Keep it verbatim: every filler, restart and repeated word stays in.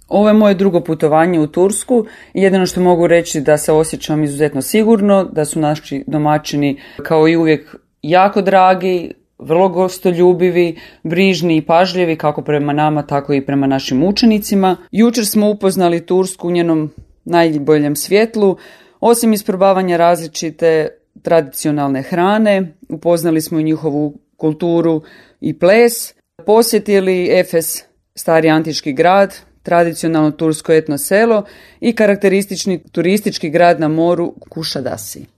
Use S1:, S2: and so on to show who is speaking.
S1: Ovo je moje drugo putovanje u Tursku i jedino što mogu reći da se osjećam izuzetno sigurno, da su naši domaćini kao i uvijek jako dragi, vrlo gostoljubivi, brižni i pažljivi kako prema nama, tako i prema našim učenicima. Jučer smo upoznali Tursku u njenom najboljem svjetlu. Osim isprobavanja različite tradicionalne hrane, upoznali smo i njihovu kulturu i ples, posjetili Efes, stari antički grad, tradicionalno tursko etno selo i karakteristični turistički grad na moru Kušadasi.